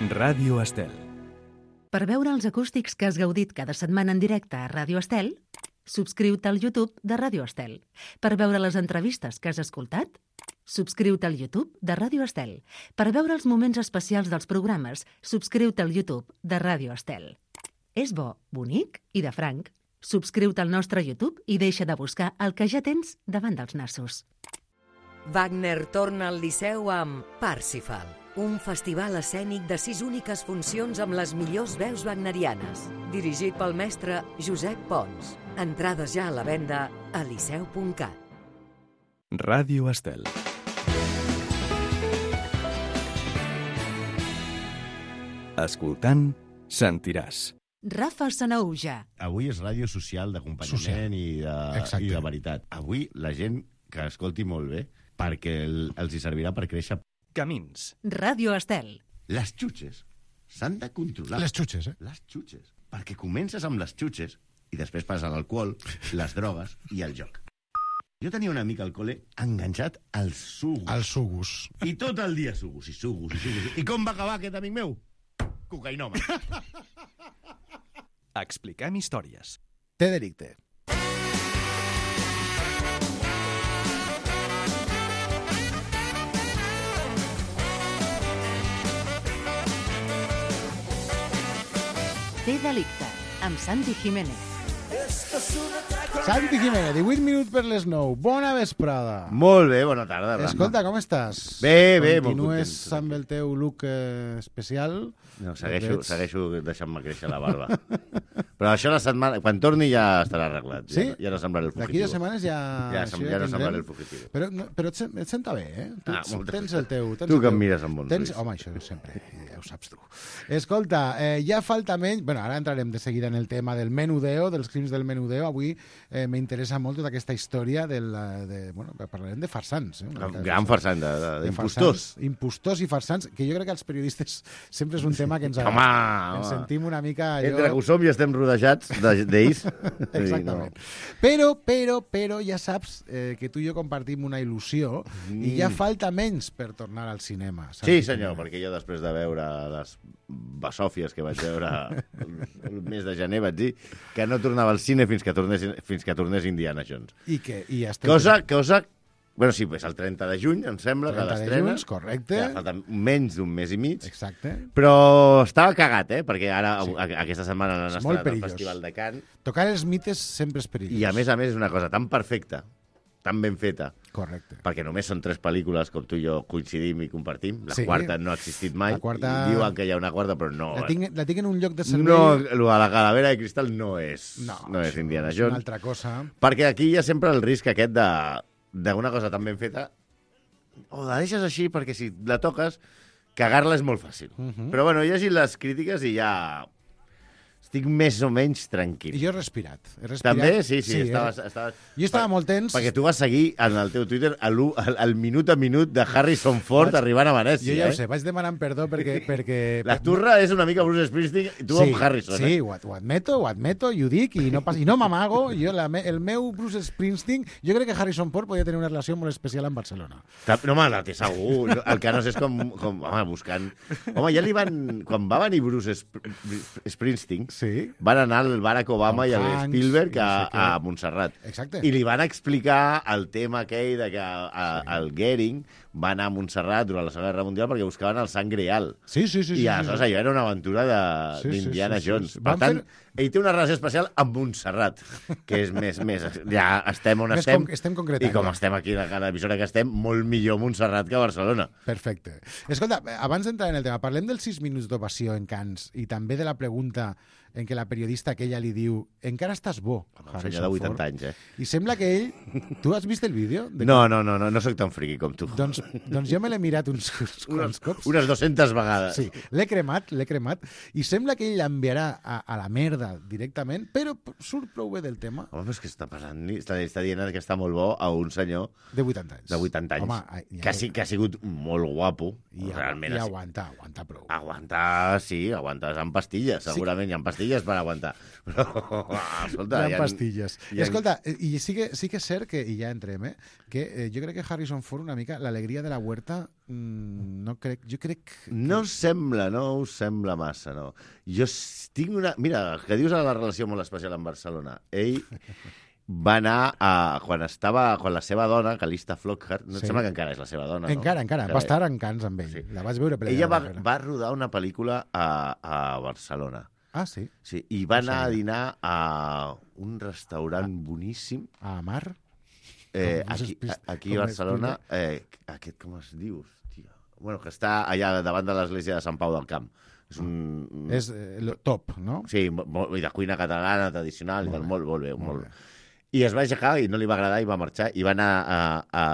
Ràdio Estel. Per veure els acústics que has gaudit cada setmana en directe a Ràdio Estel, subscriu-te al YouTube de Ràdio Estel. Per veure les entrevistes que has escoltat, subscriu-te al YouTube de Ràdio Estel. Per veure els moments especials dels programes, subscriu-te al YouTube de Ràdio Estel. És bo, bonic i de franc. Subscriu-te al nostre YouTube i deixa de buscar el que ja tens davant dels nassos. Wagner torna al Liceu amb Parsifal, un festival escènic de sis úniques funcions amb les millors veus wagnerianes, dirigit pel mestre Josep Pons. Entrades ja a la venda a liceu punt cat. Ràdio Estel. Escoltant, sentiràs. Rafa Sanaúja. Avui és ràdio social, d'acompanyament i, de, i de veritat. Avui la gent que escolti molt bé, perquè el, els hi servirà per créixer. Camins. Ràdio Estel. Les xutxes s'han de controlar. Les xutxes, eh? Les xutxes. Perquè comences amb les xutxes i després passa l'alcohol, les drogues i el joc. Jo tenia un amic al col·le enganxat als sugus. Als sugus. I tot el dia sugus i sugus i sugus. I com va acabar aquest amic meu? Cocainòman. Expliquem històries. Té delicte. Té delicte, amb Santi Jiménez. Santi Jiménez, divuit minuts per les nou. Bona vesprada. Molt bé, bona tarda. Escolta, com estàs? Bé, bé, molt Continues content. amb el teu look eh, especial? No, segueixo, segueixo deixant-me créixer la barba. Però això la setmana... Quan torni ja estarà arreglat. Sí? Ja, ja no semblaré el fugitivo. D'aquí dues setmanes ja... Ja, sem ja, ja no semblaré el fugitivo. Però, no, però et, et senta bé, eh? Tu, ah, tens el teu... Tens tu el que teu, em mires amb bons tens, ulls. Home, això sempre, ja ho saps tu. Escolta, eh, ja falta menys... Bueno, ara entrarem de seguida en el tema del menudeo, dels crims del menudeo. Avui eh, m'interessa molt tota aquesta història del... De, bueno, parlarem de farsants. Eh? Un gran farsant, d'impostors. Impostors i farsants, que jo crec que els periodistes sempre és un tema que ens... Home, ens sentim una mica... Allò... Entre que ho som i estem rodejats d'ells. Exactament. No. Però, però, però ja saps eh, que tu i jo compartim una il·lusió mm. i ja falta menys per tornar al cinema. Sí, senyor, perquè jo després de veure les basòfies que vaig veure el, el mes de gener vaig dir que no tornava al cine fins que tornés, fins que tornés Indiana Jones. I que, i ja estem... Cosa, cosa... Bueno, sí, és el trenta de juny, em sembla, que l'estrena. Juny, correcte. Ja falta menys d'un mes i mig. Exacte. Però estava cagat, eh? Perquè ara, sí. aquesta setmana han estrenat el Festival de Cannes. Tocar els mites sempre és perillós. I a més a més és una cosa tan perfecta, tan ben feta. Correcte. Perquè només són tres pel·lícules, com tu i jo coincidim i compartim. La Sí. quarta no ha existit mai. La quarta- I diuen que hi ha una quarta, però no. La tinc, la tinc en un lloc de servei... No, lo de la calavera de cristal no és, No, no és Indiana és Jones. una altra cosa. Perquè aquí hi ha sempre el risc aquest de d'una cosa tan ben feta, o la deixes així perquè si la toques, cagar-la és molt fàcil. Uh -huh. Però bueno, he llegit les crítiques i ja estic més o menys tranquil. I jo he respirat. He respirat. També? Sí, sí, sí estaves, he... estaves... Jo estava molt tens. Perquè tu vas seguir en el teu Twitter el, el, el minut a minut de Harrison Ford Vaig... arribant a Venècia. Jo ja eh? ho sé, vaig demanant perdó perquè... perquè... La turra és una mica Bruce Springsteen i tu sí, amb Harrison. Sí, eh? ho, ho admeto, ho admeto, i ho dic, i no, pas... i no m'amago. Jo, la me... El meu Bruce Springsteen... Jo crec que Harrison Ford podia tenir una relació molt especial amb Barcelona. No, home, la té segur. El que no sé és com, com home, buscant... Home, ja li van... Quan va venir Bruce Sp Springsteen, sí. van anar el Barack Obama Tom i el Hanks, Spielberg i no a, sé què. a Montserrat. Exacte. I li van explicar el tema aquell de que a, a, el Goering va anar a Montserrat durant la Segona Guerra Mundial perquè buscaven el sang real. Sí, sí, sí. I sí, aleshores sí. allò era una aventura Sí, sí, d'Indiana sí, sí, Jones. sí. Per Van tant, fer- ell té una relació especial amb Montserrat, que és més... més ja estem on Més estem. com- estem concretant, I com ja. estem aquí a cada emissora que estem, molt millor Montserrat que Barcelona. Perfecte. Escolta, abans d'entrar en el tema, parlem dels sis minuts d'ovació en Cannes i també de la pregunta en què la periodista aquella li diu encara estàs bo, Un senyor de vuitanta anys, eh? I sembla que ell... Tu has vist el vídeo? De... No, no, no, no, no soc tan friqui com tu. Doncs, doncs jo me l'he mirat uns, uns quants cops. Unes dues-centes vegades. Sí, l'he cremat, l'he cremat, i sembla que ell l'enviarà a, a la merda directament, però surt prou bé del tema. Home, però és que està passant... Està, està dient que està molt bo a un senyor... De vuitanta anys. De vuitanta anys. Home, ja, que, sí, que ha sigut molt guapo. I, realment. i ha- aguanta, aguanta prou. Aguantar, sí, aguantar amb pastilles, segurament. Sí. Hi ha pastilles per aguantar. Però, escolta... Hi ha pastilles. hi ha- Escolta, i sí que, sí que és cert que, i ja entrem, eh, que eh, jo crec que Harrison Ford una mica, l'alegria de la huerta, mmm, no crec, jo crec... Que... No us sembla, no us sembla massa, no. Jo s- tinc una... Mira, que dius a la relació molt especial amb Barcelona. Ell va anar a... Quan estava... Quan la seva dona, Calista Flockhart, no Sí. et sembla que encara és la seva dona, no? Encara, encara, va estar en Cans amb ell. Sí. La vaig veure per allà Ella va, darrere. va rodar una pel·lícula a, a Barcelona. Ah, sí? Sí, i va No anar a sabia. dinar a un restaurant boníssim. A Mar? Eh, Com és aquí, espis- a- aquí com a és Barcelona, eh, aquest com es diu? Hòstia. Bueno, que està allà davant de l'església de Sant Pau del Camp. És un... És eh, lo top, no? Sí, molt, i de cuina catalana, tradicional, Molt i tal, bé, molt, molt bé. molt Molt bé. bé. I es va aixecar i no li va agradar i va marxar i va anar a, a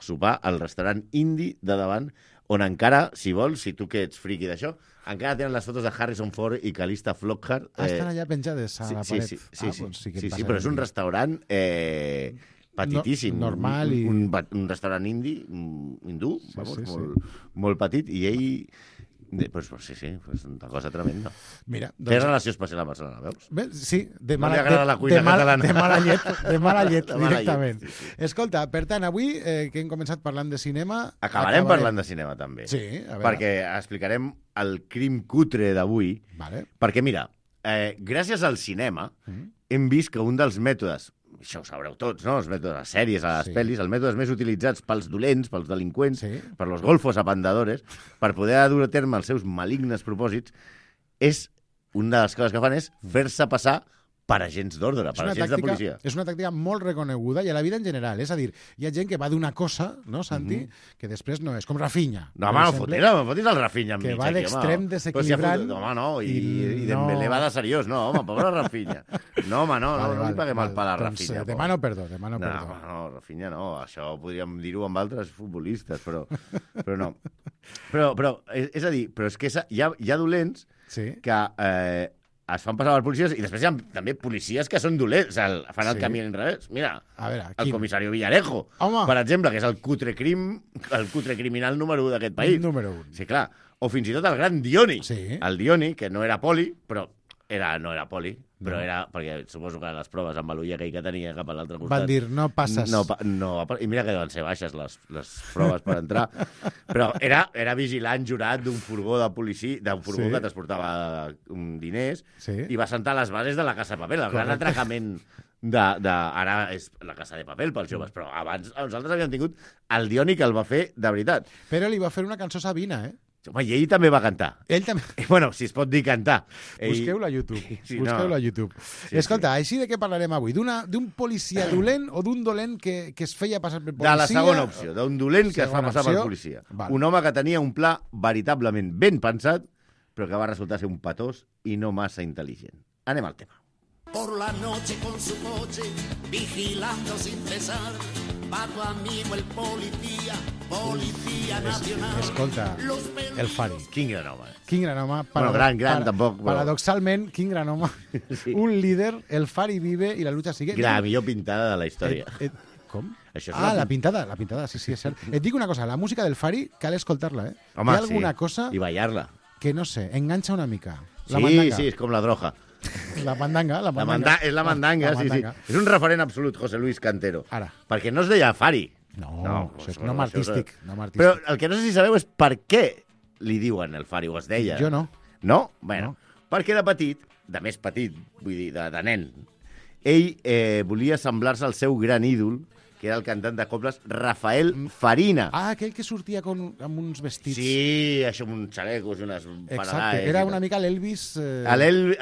sopar al restaurant indi de davant, on encara, si vols, si tu que ets friqui d'això, encara tenen les fotos de Harrison Ford i Calista Flockhart. Ah, estan allà penjades a sí, la sí, paret. sí, sí, ah, sí, doncs sí, que sí, em sí, passa però és un aquí. restaurant eh, petitíssim. No- normal un, i- un, un, un restaurant indi, un hindú, Sí, vamos, sí, sí. molt, molt petit, i ell... De, pues, pues, sí, sí, pues, una cosa tremenda. Mira, Té doncs- relació especial amb Barcelona, veus? Bé, sí, de No mala, li agrada de, la cuina de, mal, catalana. de mala llet, de mala llet De mala llet, directament. sí, sí. Escolta, per tant, avui eh, que hem començat parlant de cinema... Acabarem parlant de cinema, també. Sí, a veure. Perquè explicarem el crim cutre d'avui. Vale. Perquè, mira, eh, gràcies al cinema Mm. hem vist que un dels mètodes, això ho sabreu tots, no? Els mètodes, les sèries, a les Sí. pel·lis, els mètodes més utilitzats pels dolents, pels delinqüents, Sí. per los golfos apandadores, per poder dur a terme els seus malignes propòsits, és una de les coses que fan és fer-se passar per agents d'ordre, És per una, agents de tàctica, policia. és una tàctica molt reconeguda i a la vida en general. És a dir, hi ha gent que va d'una cosa, no, Santi, Mhm. que després no és, com Rafinha. No, per home, no exemple, fotis, no fotis el Rafinha que enmig va aquí, d'extrem home. desequilibrant Però si ha fotut- home, no, i, i i, i no- Dembélé va de seriós, no, home, pobre Rafinha. No, home, no, no, Vale, no li vale, paguem el vale. pal a Doncs, Rafinha. eh, demano perdó, demano no, perdó. No, no, Rafinha no, això podríem dir-ho amb altres futbolistes, però, però no. Però, però és, és a dir, però és que hi ha, hi ha dolents sí. que eh, es fan passar per policies i després hi ha també policies que són dolents, o sigui, fan el Sí. camí en revés. Mira, A veure, el quin? comissari Villarejo, Home. per exemple, que és el cutre crim, el cutre criminal número u d'aquest país. Número un. Sí, clar. O fins i tot el gran Dioni. Sí. El Dioni, que no era poli, però era, no era poli, però No. era... Perquè suposo que les proves amb l'ull aquell que tenia cap a l'altre costat... Van dir, no passes. No, pa- no, I mira que van ser baixes les, les proves per entrar. Però era, era vigilant jurat d'un furgó de policia, d'un furgó Sí. que transportava um, diners, Sí. i va sentar les bases de la Casa de Paper, el gran Correcte. atracament de, de... Ara és la Casa de Paper pels joves, però abans nosaltres havíem tingut el Dioni que el va fer de veritat. Però li va fer una cançó Sabina, eh? Home, i ell també va cantar. Ell també... Bueno, si es pot dir cantar. Ell... Busqueu-lo a YouTube. Sí, Busqueu-lo no. a YouTube. Sí, Escolta, sí. Així de què parlarem avui? D'un policia dolent o d'un dolent que, que es feia passar per policia? De la segona opció, d'un dolent que es fa passar opció. per policia. Vale. Un home que tenia un pla veritablement ben pensat, però que va resultar ser un patós i no massa intel·ligent. Anem al tema. Por la noche con su coche, vigilando sin cesar, va tu amigo el policía, policía nacional. Escolta, el Fari. Quin gran home. Quin gran home. Bueno, gran, gran, para, tampoc. Però... Paradoxalment, quin gran home. Sí. Un líder, el Fari vive i la lucha sigue. La millor pintada de la història. Et, et, com? Això és ah, una... la pintada, la pintada, sí, sí, és cert. Et dic una cosa, la música del Fari cal escoltar-la, eh? Home, Hi ha alguna sí. cosa... I ballar-la. Que no sé, enganxa una mica. La sí, mandanga. sí, és com la droga. La mandanga, la mandanga. La manda és la mandanga, la, la sí, mandanga. sí. És un referent absolut, José Luis Cantero. Ara. Perquè no es deia Fari. No, no això és nom artístic, nom artístic. Però el que no sé si sabeu és per què li diuen el Fari, o es deia. Jo no. No? Bueno, no. Perquè de petit, de més petit, vull dir, de, de nen, ell eh, volia semblar-se al seu gran ídol, que era el cantant de cobles Rafael Farina. Ah, aquell que sortia con, amb uns vestits. Sí, això amb uns xalecos i unes Exacte, paradades. era una mica l'Elvis... Eh...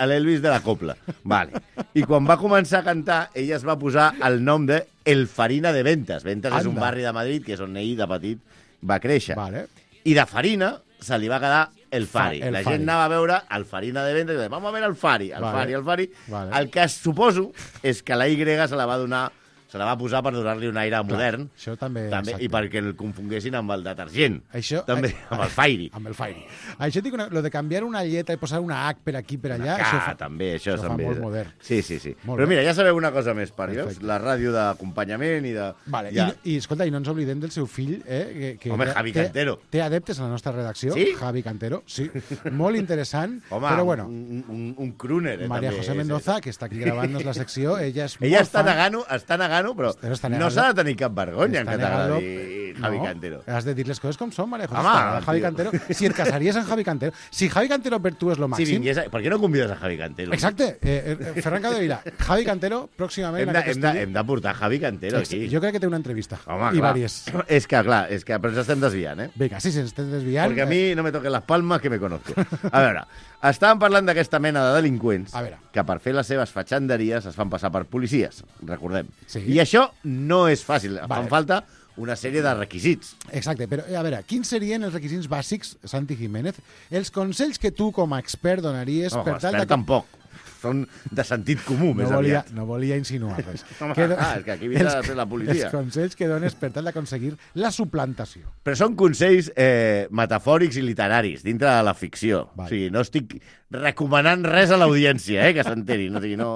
L'Elvis de la copla. Vale. I quan va començar a cantar, ell es va posar el nom de El Farina de Ventas. Ventas Anda. És un barri de Madrid, que és on ell de petit va créixer. Vale. I de Farina se li va quedar el Fari. El la Fari. gent anava a veure el Farina de Ventas i deia, vamos a ver el Fari, el vale. Fari, el Fari. Vale. El que suposo és que la Y se la va donar se la va posar per donar-li un aire modern. Clar, això també, també i perquè el confonguessin amb el detergent. Això, també, eh, amb el Fairy. Amb el Fairy. Això dic, una, lo de canviar una lletra i posar una H per aquí, per allà, K, això fa, també, això, això també. fa molt modern. Sí, sí, sí. Molt Però bé. mira, ja sabeu una cosa més, Parios, Perfecte. la ràdio d'acompanyament i de... Vale, ja. i, i, escolta, i no ens oblidem del seu fill, eh? Que, que Home, té- Javi té- Cantero. Té adeptes a la nostra redacció. Sí? Javi Cantero, sí. Molt interessant, Home, però bueno. un, un, un crooner, eh, María també. José Mendoza, que està aquí gravant-nos la secció, ella és Ella molt està fan. negant-ho, està negant-ho, però, Però està no negant-lo. s'ha de tenir cap vergonya en Està que t'agradi negant-lo. Javi No, Cantero. Has de dir les coses com són, María José. Home, Està, Javi tio. Cantero. Si et casaries amb Javi Cantero, si Javi Cantero per tu és lo Si màxim... vingués a... Per què no convides a Javi Cantero? Exacte. Eh, eh, Ferran Capdevila, Javi Cantero, pròximament... Hem en de, aquest hem, de, estudi. hem de portar Javi Cantero Ex- aquí. Jo crec que té una entrevista. Home, I clar. vàries. És que, clar, és que però ens estem desviant, eh? Vinga, sí, se'ns estem desviant. Perquè a mi no me toquen les palmes que me conozco. A veure, estàvem parlant d'aquesta mena de delinqüents A veure. que per fer les seves fatxanderies es fan passar per policies, recordem. Sí. I això no és fàcil. Vale. Fan falta una sèrie de requisits. Exacte, però a veure, quins serien els requisits bàsics, Santi Jiménez, els consells que tu com a expert donaries No, per tal expert de... tampoc. Són de sentit comú, No més volia, aviat. no volia insinuar res. Home, do- ah, és que aquí vindrà els- a ser la policia. Els consells que dones per tal d'aconseguir la suplantació. Però són consells eh, metafòrics i literaris, dintre de la ficció. Vale. O sigui, no estic recomanant res a l'audiència, eh, que s'enteri. No, o sigui, no,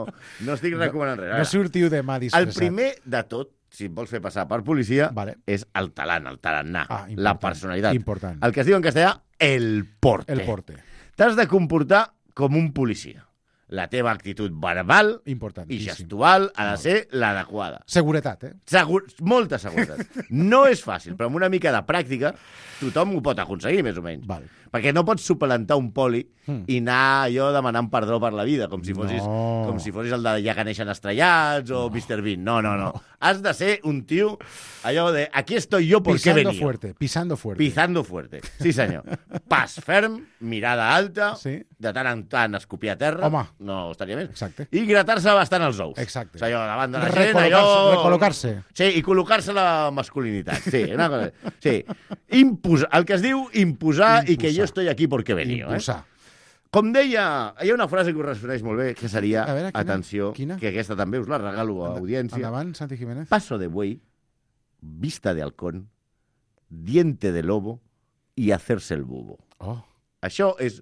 no estic recomanant res. A No veure, sortiu demà el disfressat. primer de tot, si et vols fer passar per policia, Vale. és el talant, el tarannà, Ah, important, la personalitat. important. El que es diu en castellà, el porte. El porte. T'has de comportar com un policia. La teva actitud verbal i Importantíssim. gestual ha de ser l'adequada. Seguretat, eh? Segur, molta seguretat. No és fàcil, però amb una mica de pràctica tothom ho pot aconseguir, més o menys. Val. Perquè no pots suplantar un poli Mm. i anar allò demanant perdó per la vida, com si fossis, No. com si fossis el de Ja que neixen estrellats o mister Bean. No, no, no. Has de ser un tio, allò de aquí estoy yo porque he Pisando venido. fuerte, pisando fuerte. Pisando fuerte. Sí, senyor. Pas ferm, mirada alta, Sí. de tant en tant escopir a terra. Home. No estaria més. Exacte. I gratar-se bastant els ous. Exacte. O sigui, allò, davant de la gent, Recol·locar-se, allò... recol·locar-se. Sí, i col·locar-se la masculinitat. Sí, una cosa... Sí. Imposar, el que es diu imposar, i que Imposar. jo estoy aquí porque he venido. Impulsar. Eh? Com deia, hi ha una frase que us responeix molt bé, que seria, A veure, quina? atenció, Quina? que aquesta també us la regalo a audiència. Endavant, Santi Jiménez. Paso de buey, vista de halcón, diente de lobo i hacerse el bubo. Oh. Això és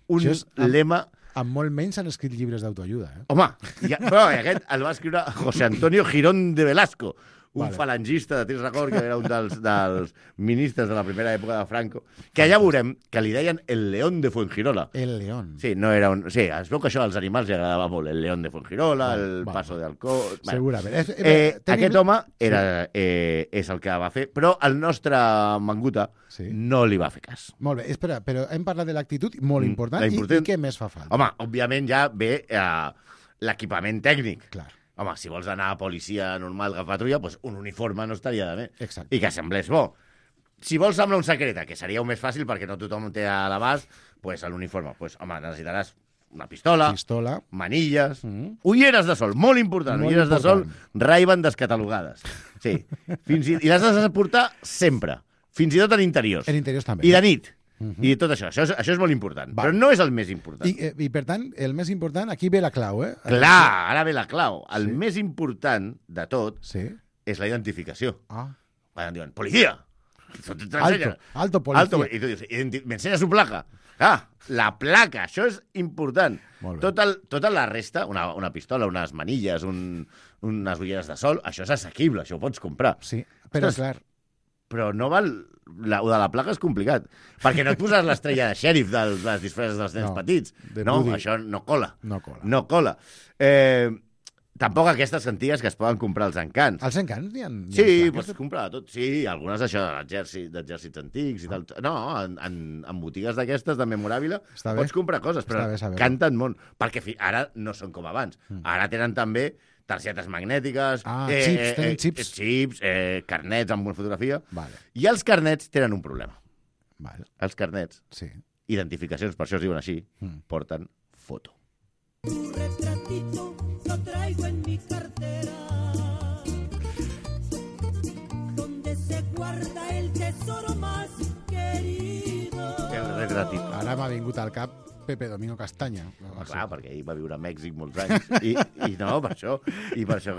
un Això és amb- lema... Amb molt menys han escrit llibres d'autoajuda, eh? Home, ja, però aquest el va escriure José Antonio Girón de Velasco, un Vale. falangista de temps record, que era un dels, dels ministres de la primera època de Franco, que allà veurem que li deien el León de Fuengirola. El León. Sí, no era un... sí, es veu que això als animals li agradava molt, el León de Fuengirola, Vale, el vale. Paso de Alcó... Segurament. Eh, Eh, eh, tenim- Aquest home era, eh, és el que va fer, però el nostre Manguta Sí. no li va fer cas. Molt bé, espera, però hem parlat de l'actitud, molt Mm, important, la i, important- i què més fa falta? Home, òbviament ja ve eh, l'equipament tècnic. Clar. Home, si vols anar a policia normal que patrulla, doncs un uniforme no estaria de bé. Exacte. I que semblés bo. si vols semblar un secreta, que seria un més fàcil perquè no tothom té a l'abast, pues, a l'uniforme, pues, home, necessitaràs una pistola, pistola. manilles, mm. ulleres de sol, molt important, molt ulleres important. de sol, Ray-Ban descatalogades. Sí. Fins i, I les has de portar sempre, fins i tot en interiors. En interiors també. I de nit. Mm-hmm. I tot això. Això és, això és molt important. Va. Però no és el més important. I, I, per tant, el més important, aquí ve la clau, eh? Clar, ara ve la clau. El sí. més important de tot sí. és la identificació. Ah. Quan diuen, policia! Alto, alto policia. Alto, I tu dius, m'ensenya su placa. Ah, la placa, això és important. Tot el, tota la resta, una, una pistola, unes manilles, un, unes ulleres de sol, això és assequible, això ho pots comprar. Sí, però Ostres, clar... Però no val... La, o de la placa és complicat. Perquè no et poses l'estrella de xèrif de les disfresses dels nens no, petits. No, Woody. això no cola. No cola. No cola. Eh, tampoc aquestes antigues que es poden comprar als encants. Als encants n'hi ha... Sí, pots comprar tot. Sí, algunes d'això d'exèrcits antics i tal. No, en, en, en botigues d'aquestes de memoràbile pots comprar coses, però canten molt. Perquè fi, ara no són com abans. Mm. Ara tenen també targetes magnètiques, ah, eh, xips, eh, tenen xips, eh, xips eh, carnets amb una fotografia. Vale. I els carnets tenen un problema. Vale. Els carnets, sí. identificacions, per això es diuen així, mm. porten foto. Tu retratito lo traigo en mi cartera, donde se guarda el tesoro más querido. El retratito. Ara m'ha vingut al cap Pepe Domingo Castaña. Home, clar, perquè ell va viure a Mèxic molts anys. I, i no, per això. I per això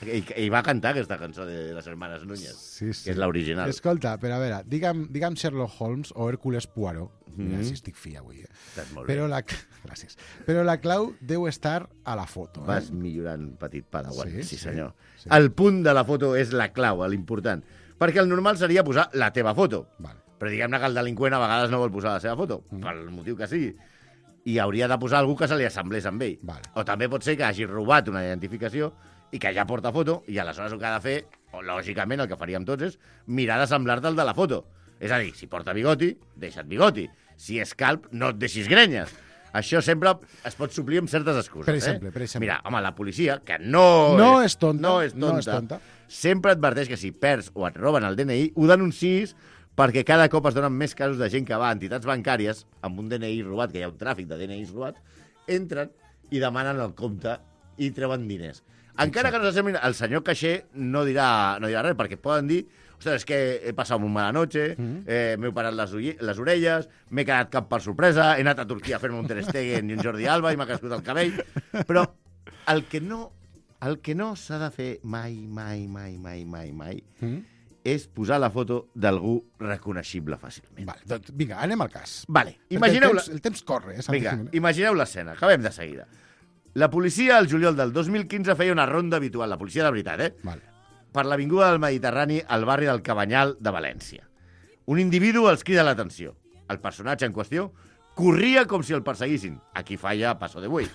i, i va cantar aquesta cançó de les Hermanes Núñez, sí, sí. que és l'original. Escolta, però a veure, digue'm, digue'm Sherlock Holmes o Hércules Poirot. Mm-hmm. Mira, si estic fi avui. Eh? Estàs molt però bé. la, gràcies. Però la clau deu estar a la foto. Eh? Vas millorant, petit padawan. Sí, sí, senyor. Sí. El punt de la foto és la clau, l'important. Perquè el normal seria posar la teva foto. Vale. Però diguem-ne que el delinqüent a vegades no vol posar la seva foto, mm. pel motiu que sigui. I hauria de posar algú que se li assemblés amb ell. Vale. O també pot ser que hagi robat una identificació i que ja porta foto, i aleshores el que ha de fer, o lògicament el que faríem tots, és mirar d'assemblar-te el de la foto. És a dir, si porta bigoti, deixa't bigoti. Si és calp, no et deixis grenyes. Això sempre es pot suplir amb certes excuses. Per exemple, eh? per exemple. Mira, home, la policia, que no, no és, és tonta, no és tonta, no és tonta, sempre adverteix que si perds o et roben el D N I, ho denunciïs, perquè cada cop es donen més casos de gent que va a entitats bancàries amb un D N I robat, que hi ha un tràfic de D N Is robat, entren i demanen el compte i treuen diners. Encara que no s'assemblin, el senyor caixer no dirà, no dirà res, perquè poden dir, ostres, és que he passat una mala noche, mm-hmm. eh, m'he parat les, les orelles, m'he quedat cap per sorpresa, he anat a Turquia a fer-me un Ter Stegen i un Jordi Alba i m'ha crescut el cabell. Però el que no, el que no s'ha de fer mai, mai, mai, mai, mai, mai, mm-hmm. és posar la foto d'algú reconeixible fàcilment. Vale, doncs, vinga, anem al cas. Vale, imagineu el, temps, el temps corre. Eh, vinga, imagineu l'escena, acabem de seguida. La policia, al juliol del dos mil quinze, feia una ronda habitual, la policia de veritat, eh? Vale. Per l'avinguda del Mediterrani al barri del Cabanyal de València. Un individu els crida l'atenció. El personatge en qüestió corria com si el perseguissin. Aquí falla paso de buey.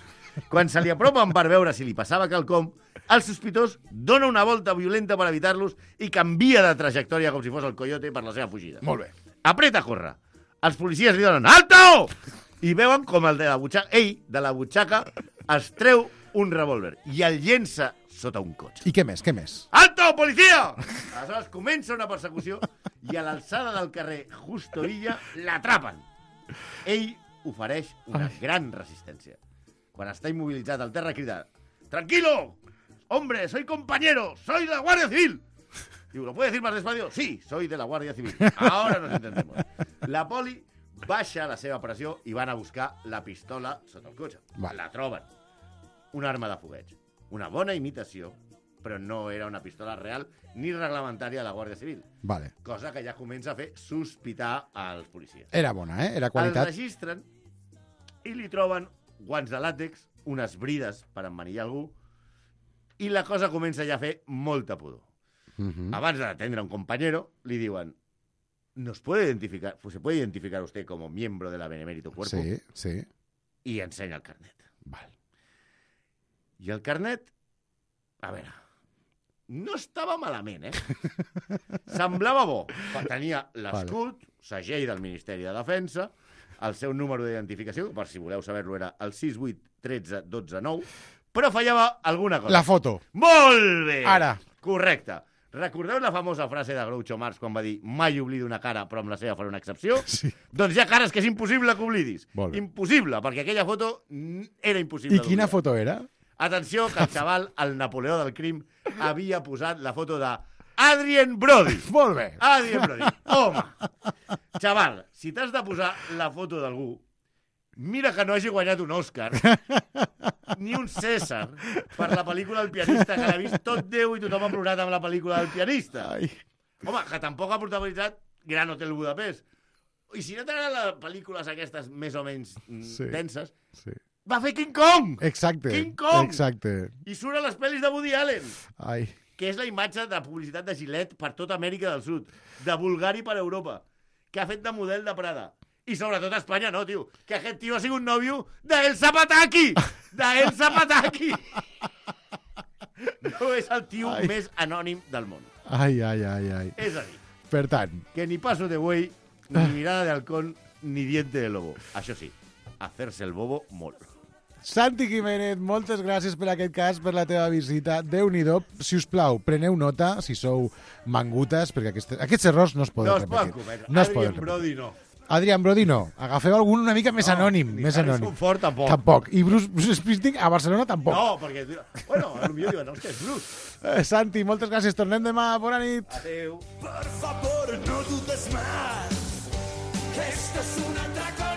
Quan se li apropen per veure si li passava quelcom, el sospitós dona una volta violenta per evitar-los i canvia de trajectòria com si fos el coyote per la seva fugida. Molt bé. Apreta a córrer. Els policies li donen alto! I veuen com el de la butxaca, ell, de la butxaca, es treu un revòlver i el llença sota un cotxe. I què més, què més? Alto, policia! Aleshores comença una persecució i a l'alçada del carrer Justo Villa l'atrapen. Ell ofereix una Ai. gran resistència. Quan està immobilitzat al terra crida: «Tranquilo! Hombre, soy compañero, soy de la Guardia Civil». Digo, ¿lo puede decir más despacio? Sí, soy de la Guardia Civil. Ahora nos entendemos. La poli baixa la seva pressió i van a buscar la pistola sota el cotxe. Vale. La troben. Una arma de fogueig. Una bona imitació, però no era una pistola real ni reglamentària de la Guàrdia Civil. Vale. Cosa que ja comença a fer sospitar als policies. Era bona, eh? Era qualitat. El registren i li troben guants de làtex, unes brides per emmanillar algú, i la cosa comença ja a fer molta pudor. Uh-huh. Abans d'atendre un compañero, li diuen: ¿Nos puede identificar, pues se puede identificar usted como miembro de la Benemérito Cuerpo? Sí, sí. I ensenya el carnet. Val. I el carnet, a veure, no estava malament, eh? Semblava bo. Tenia l'escut, vale. Segell del Ministeri de Defensa, el seu número d'identificació, per si voleu saber-lo, era el sis vuit un tres un dos nou, però fallava alguna cosa. La foto. Molt bé! Ara. Correcte. Recordeu la famosa frase de Groucho Marx quan va dir mai oblido una cara, però amb la seva faré una excepció? Sí. Doncs hi ha cares que és impossible que oblidis. Molt bé. Impossible, perquè aquella foto era impossible I quina d'oblidar. foto era? Atenció, que el xaval, el Napoleó del crim, havia posat la foto de Adrien Brody. Molt bé. Adrien Brody. Home, xaval, si t'has de posar la foto d'algú, mira que no hagi guanyat un Òscar ni un César per la pel·lícula El pianista, que l'ha vist tot Déu i tothom ha plorat amb la pel·lícula del pianista. Ai. Home, que tampoc ha protagonitzat Gran Hotel Budapest. I si no t'agraden les pel·lícules aquestes més o menys mm, Sí. denses, Sí. va fer King Kong! Exacte. King Kong! Exacte. I surt a les pel·lis de Woody Allen, Ai. que és la imatge de publicitat de Gillette per tota Amèrica del Sud, de Bulgari per Europa, que ha fet de model de Prada. I sobretot a Espanya, no, tio. Que aquest tio ha sigut nòvio d'Elsa Pataki! D'Elsa Pataki! No és el tio Ai. més anònim del món. Ai, ai, ai, ai. És a dir, Per tant, que ni paso de buey, ni mirada de halcón, ni diente de lobo. Això sí, hacerse el bobo molt. Santi Jiménez, moltes gràcies per aquest cas, per la teva visita. Déu-n'hi-do. Si us plau, preneu nota, si sou mangutes, perquè aquests, aquests errors no es poden No es poden repetir. cometre. No es Adrien poden repetir. Brody no. Adrian Brody no. Agafeu algun una mica més No, anònim. ni Més Harrison anònim. Ford tampoc. Tampoc. I Bruce, Bruce Springsteen a Barcelona tampoc. No, perquè... Bueno, potser diuen, hòstia, és Bruce. Eh, Santi, moltes gràcies. Tornem demà. Bona nit. Adéu. Por favor, no dudes más, que esto es un atraco.